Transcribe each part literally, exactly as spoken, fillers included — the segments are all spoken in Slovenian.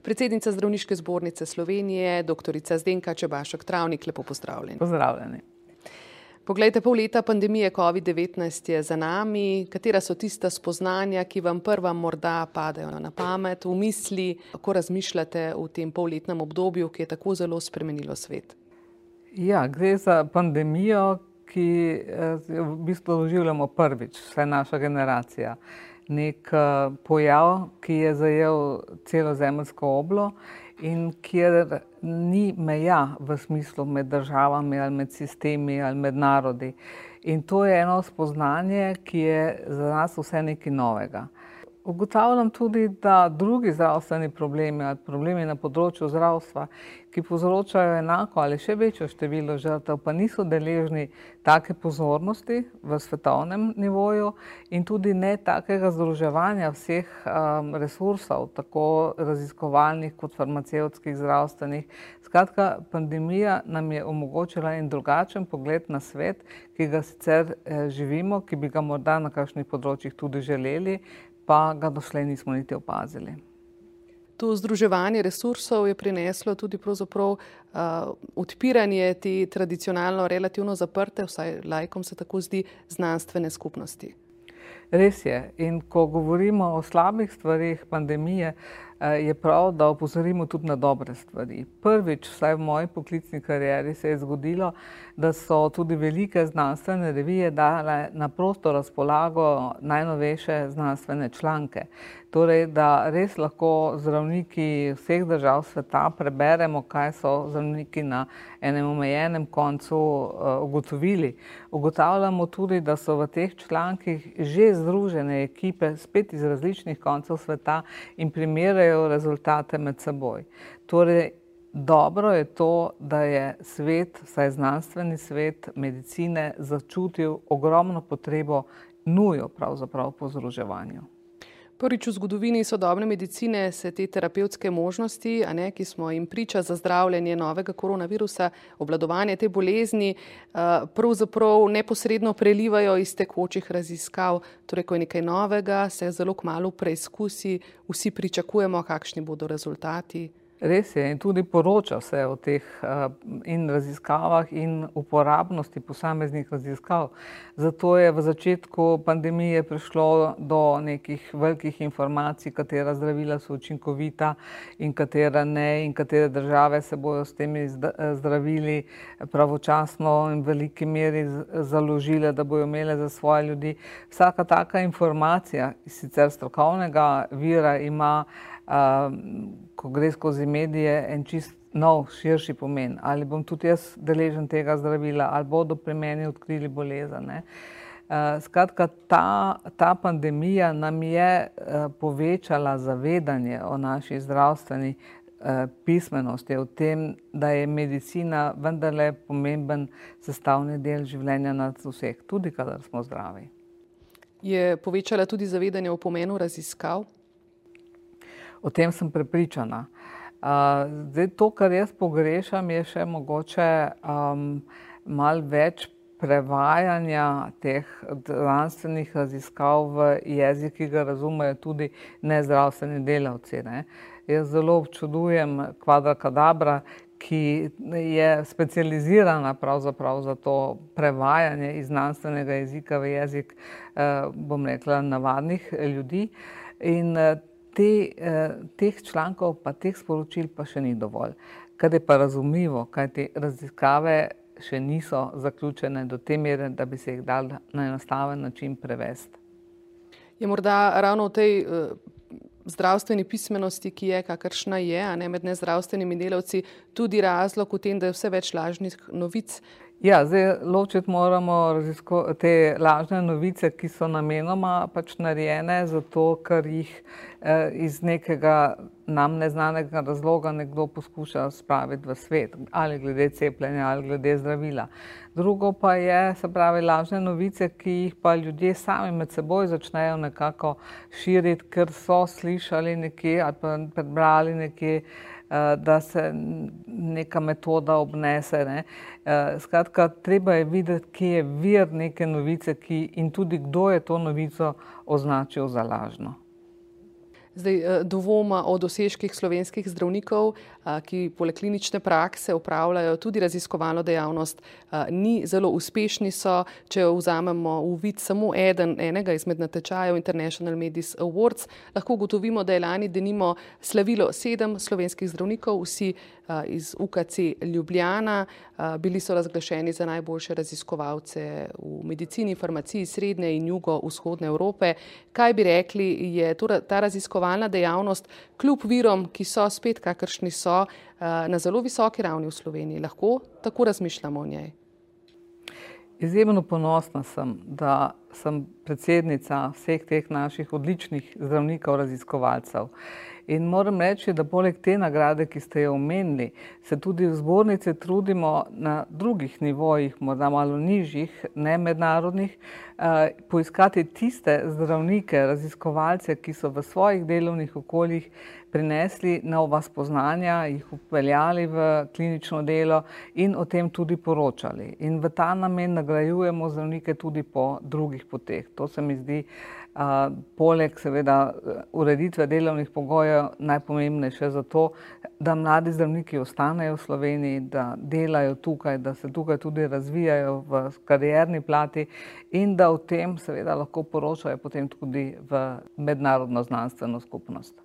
predsednica Zdravniške zbornice Slovenije, doktorica Zdenka Čebašek Travnik. Lepo pozdravljeni. Pozdravljeni. Poglejte, pol leta pandemije covid devetnajst je za nami. Katera so tista spoznanja, ki vam prva morda padejo na pamet, v misli, kako razmišljate v tem polletnem obdobju, ki je tako zelo spremenilo svet? Ja, gre za pandemijo, ki v bistvu doživljamo prvič, vsaj naša generacija. Nek pojav, ki je zajel celo zemeljsko oblo in kjer ni meja v smislu med državami ali med sistemi ali med narodi. In to je eno spoznanje, ki je za nas vse nekaj novega. Ugotavljam tudi, da drugi zdravstveni problemi ali problemi na področju zdravstva, ki povzročajo enako ali še večjo število žrtev, pa niso deležni take pozornosti v svetovnem nivoju in tudi ne takega združevanja vseh um, resursov, tako raziskovalnih kot farmacevtskih, zdravstvenih. Skratka, pandemija nam je omogočila en drugačen pogled na svet, ki ga sicer eh, živimo, ki bi ga morda na kakšnih področjih tudi želeli, pa ga doslej nismo niti opazili. To združevanje resursov je prineslo tudi pravzaprav uh, odpiranje te tradicionalno relativno zaprte, vsaj laikom se tako zdi, znanstvene skupnosti. Res je. In ko govorimo o slabih stvarih pandemije, je prav, da opozorimo tudi na dobre stvari. Prvič, vsaj v moji poklicni karieri, se je zgodilo, da so tudi velike znanstvene revije dale na prosto razpolago najnovejše znanstvene članke. Torej, da res lahko zdravniki vseh držav sveta preberemo, kaj so zdravniki na enem omejenem koncu ugotovili. Ugotavljamo tudi, da so v teh člankih že združene ekipe spet iz različnih koncev sveta in primerjajo rezultate med seboj. Torej, dobro je to, da je svet, vsaj znanstveni svet medicine, začutil ogromno potrebo, nujo pravzaprav po združevanju. Prvič v zgodovini sodobne medicine se te terapevtske možnosti, a ne, ki smo jim priča za zdravljenje novega koronavirusa, obvladovanje te bolezni, pravzaprav neposredno prelivajo iz tekočih raziskav. Torej, ko je nekaj novega, se zelo kmalu preizkusi, vsi pričakujemo, kakšni bodo rezultati. Res je, in tudi poroča se o teh in raziskavah in uporabnosti posameznih raziskav. Zato je v začetku pandemije prišlo do nekih velikih informacij, katera zdravila so učinkovita in katera ne, in katere države se bojo s temi zdravili pravočasno in v veliki meri založile, da bojo imele za svoje ljudi. Vsaka taka informacija iz sicer strokovnega vira ima, Uh, ko gre skozi medije, en čist nov, širši pomen. Ali bom tudi jaz deležen tega zdravila, ali bodo pri meni odkrili bolezen. Uh, skratka, ta, ta pandemija nam je uh, povečala zavedanje o naši zdravstveni uh, pismenosti, o tem, da je medicina vendarle pomemben sestavni del življenja nas vseh, tudi kadar smo zdravi. Je povečala tudi zavedanje o pomenu raziskav? O tem sem prepričana. Zdaj, to, kar jaz pogrešam, je še mogoče um, malo več prevajanja teh znanstvenih raziskav v jezik, ki ga razumejo tudi nezdravstveni delavci. Ne? Jaz zelo občudujem Quadra Cadabra, ki je specializirana pravzaprav za to prevajanje iz znanstvenega jezika v jezik, bom rekla, navadnih ljudi. In Te, teh člankov pa teh sporočil pa še ni dovolj. Kar je pa razumljivo, kajti raziskave še niso zaključene do te mere, da bi se jih dal na enostaven način prevesti. Je morda ravno v tej uh, zdravstveni pismenosti, ki je, kakršna je, a ne med nezdravstvenimi delavci, tudi razlog v tem, da je vse več lažnih novic? Ja, zdaj ločiti moramo te lažne novice, ki so namenoma pač narejene zato, ker jih eh, iz nekega nam neznanega razloga nekdo poskuša spraviti v svet, ali glede cepljenja, ali glede zdravila. Drugo pa je, se pravi, lažne novice, ki jih pa ljudje sami med seboj začnejo nekako širiti, ker so slišali nekje ali pa prebrali nekje, da se neka metoda obnese. Ne. Skratka, treba je videti, kje je vir neke novice ki, in tudi kdo je to novico označil za lažno. Zdaj, dvoma o dosežkih slovenskih zdravnikov, ki poleg klinične prakse opravljajo tudi raziskovalno dejavnost, ni zelo uspešni so, če vzamemo v vid samo eden, enega izmed natečajev International Medis Awards, lahko ugotovimo, da je lani denimo slavilo sedem slovenskih zdravnikov, vsi iz U K C Ljubljana, bili so razglašeni za najboljše raziskovalce v medicini, farmaciji srednje in jugovzhodne Evrope. Kaj bi rekli, je ta raziskovalna dejavnost kljub virom, ki so spet kakršni so, na zelo visoki ravni v Sloveniji? Lahko tako razmišljamo o njej? Izjemno ponosna sem, da sem predsednica vseh teh naših odličnih zdravnikov, raziskovalcev. In moram reči, da poleg te nagrade, ki ste jo omenili, se tudi v zbornici trudimo na drugih nivojih, morda malo nižjih, ne mednarodnih, poiskati tiste zdravnike, raziskovalce, ki so v svojih delovnih okoljih prinesli nova spoznanja, jih upeljali v klinično delo in o tem tudi poročali. In v ta namen nagrajujemo zdravnike tudi po drugih poteh. To se mi zdi, Uh, poleg seveda ureditve delovnih pogojev najpomembnejše za to, da mladi zdravniki ostanejo v Sloveniji, da delajo tukaj, da se tukaj tudi razvijajo v karierni plati in da o tem seveda lahko poročajo potem tudi v mednarodno znanstveno skupnost.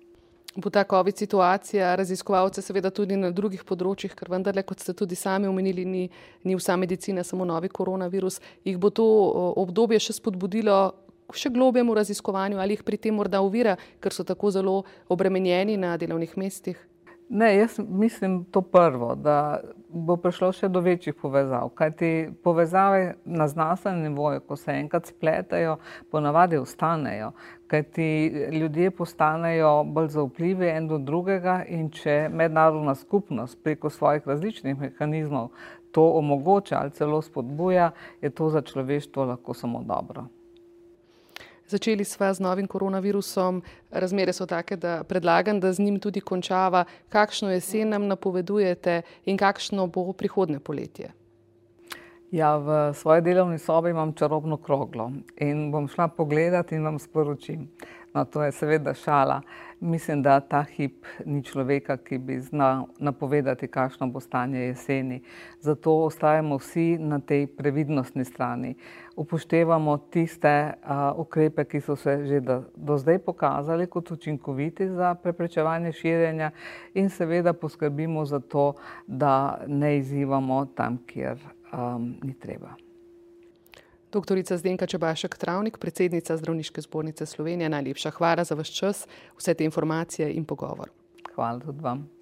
Bo ta COVID situacija raziskovalce seveda tudi na drugih področjih, ker vendarle, kot ste tudi sami omenili, ni, ni vsa medicina samo novi koronavirus, jih bo to obdobje še spodbudilo še globjemu raziskovanju ali jih pri tem morda ovira, ker so tako zelo obremenjeni na delovnih mestih? Ne, jaz mislim to prvo, da bo prišlo še do večjih povezav, kajti povezave na znanstvenem nivoju, ko se enkrat spletajo, ponavadi ostanejo, kajti ljudje postanejo bolj zaupljivi en do drugega in če mednarodna skupnost preko svojih različnih mehanizmov to omogoča ali celo spodbuja, je to za človeštvo lahko samo dobro. Začeli sva z novim koronavirusom, razmere so take, da predlagam, da z njim tudi končava. Kakšno jesen nam napovedujete in kakšno bo prihodnje poletje? Ja, v svoji delovni sobi imam čarobno kroglo in bom šla pogledat in vam sporočim. No, to je seveda šala. Mislim, da ta hip ni človeka, ki bi znal napovedati, kakšno bo stanje jeseni. Zato ostajamo vsi na tej previdnostni strani. Upoštevamo tiste uh, ukrepe, ki so se že do, do zdaj pokazali kot učinkoviti za preprečevanje širjenja in seveda poskrbimo za to, da ne izzivamo tam, kjer um, ni treba. Doktorica Zdenka Čebašek-Travnik, predsednica Zdravniške zbornice Slovenije, najlepša hvala za vaš čas, vse te informacije in pogovor. Hvala tudi vam.